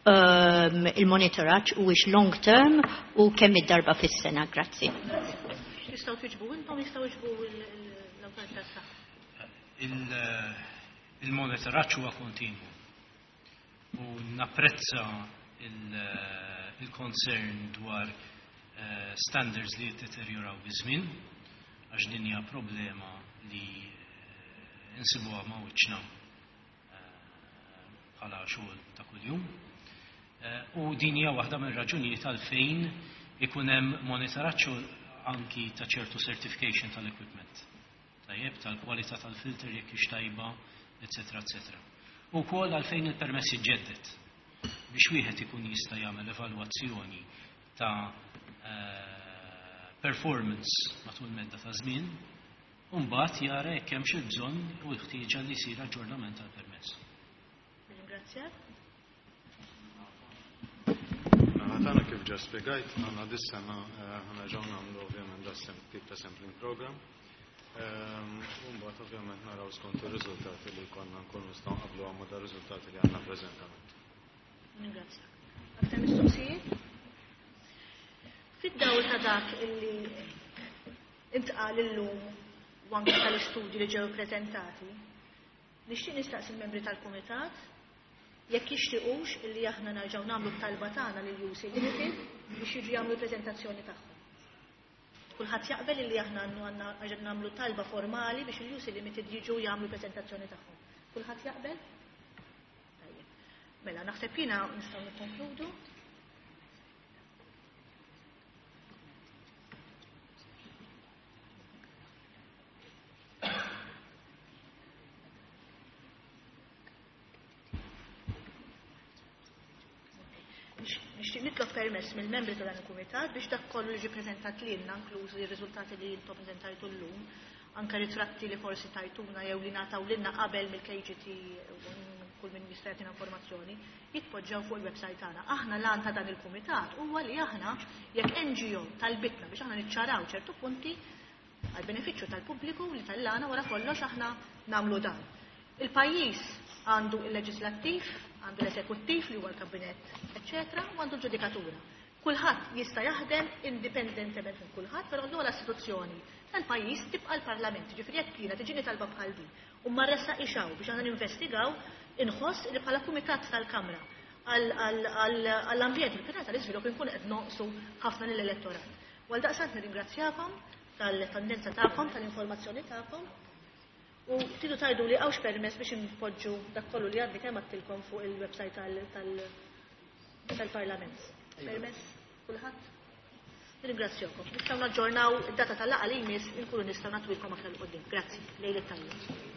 il-monitoraġġ huwiex long term u kemm id-darba fis-sena. Grazzi. Jistgħu tiġbu intom, jistgħu jiġbu l-awtorità tas-saħħa. Il-monitoraġġ huwa kontinwu. U napprezza il-concern dwar standards li jiddeterjoraw biż-żmien, għax din hija problema li insibuha ma' wiċċna bħala xogħol ta' kuljum. U din hija waħda mir-raġunijiet għalfejn ikun hemm monitoraġġ anki ta' ċertu certification tal-equipment. Tajjeb, tal-kwalità tal-filter jekk hix tajba, eċetera, eċetera. U wkoll għalfejn il-permess jiġġedded biex wieħed ikun jista' jagħmel evalwazzjoni ta' performance matul medda ta' żmien, u mbagħad jara jekk hemmx il-bżonn u l-ħtieġa li jsir aġġornament tal-permess. Ringrazzjak. Għatana kif ġa spiegajt, għanna dis-sena ħana ġew nagħmlu ovvjament da tip ta' sampling program. U mbagħad ovvjament naraw skont ir-riżultati li konna nkunu nistgħu nqablu ma' da riżultati li għandna preżentament. Ringrazzjak. Aktar mistoqsijiet? Fid-dawl ta' dak illi intqal illum u anke tal-istudji li ġew preżentati, nixtieq nistaqsi l-membri tal-kumitat jekk jixtiequx illi aħna nerġgħu nagħmlu t-talba tagħna lil UC Limited biex jiġu jagħmlu l-preżentazzjoni tagħhom. Kulħadd jaqbel li aħna għandna nagħmlu talba formali biex il-UC Limited jiġu jagħmlu preżentazzjoni tagħhom. Kulħadd jaqbel? Tajjeb. Mela, naħseb jiena nistgħu nikkonkludu. Nixtieq nitlob permess mill-membri ta' dan il-kumitat biex dak kollu li ġie preżentat lilna, inklużi r-riżultati li intom preżentajtu llum, anke ritratti li forsi tajtuna jew li ngħataw lilna qabel mill-KGT u kull min jista' jagħtina informazzjoni, jitpoġġew fuq il-website tagħna. Aħna l-għan ta' dan il-kumitat huwa li aħna jekk NGO talbitna biex aħna niċċaraw ċertu punti għal benefiċċju tal-pubbliku li tal-għana wara kollox aħna nagħmlu dan. Il-pajjiż għandu il-leġislattiv, għandu l-esekuttiv li huwa l-kabinett, eċċetera, u għandu l-ġudikatura. Kulħadd jista' jaħdem indipendentement minn kulħadd, però l-ogħla istituzzjoni tal-pajjiż tibqa' l-Parlament. Ġifieri jekk jiena tiġini talba bħal din u ma ressaqix hawn biex aħna ninvestigaw, inħoss li bħala kumitat tal-Kamra għall-ambjent u l-pjanar tal-iżvilupp inkun qed nonqsu ħafna lill-elettorat. U għaldaqstant nirringrazzjakom tal-tendenza tagħkom, tal-informazzjoni tagħkom. U tridu tgħidu li hawnx permess biex inpoġġu dak kollu li għadni kemm għadtilkom fuq il-website tal-Parlament. Permess kulħadd? Nirringrazzjakom. Nistgħu naġġornaw id-data tal-laqgħa li jmiss inkunu nistgħu nagħtuilkom aktar 'il quddiem. Grazzi. Lejl it-tajjeb.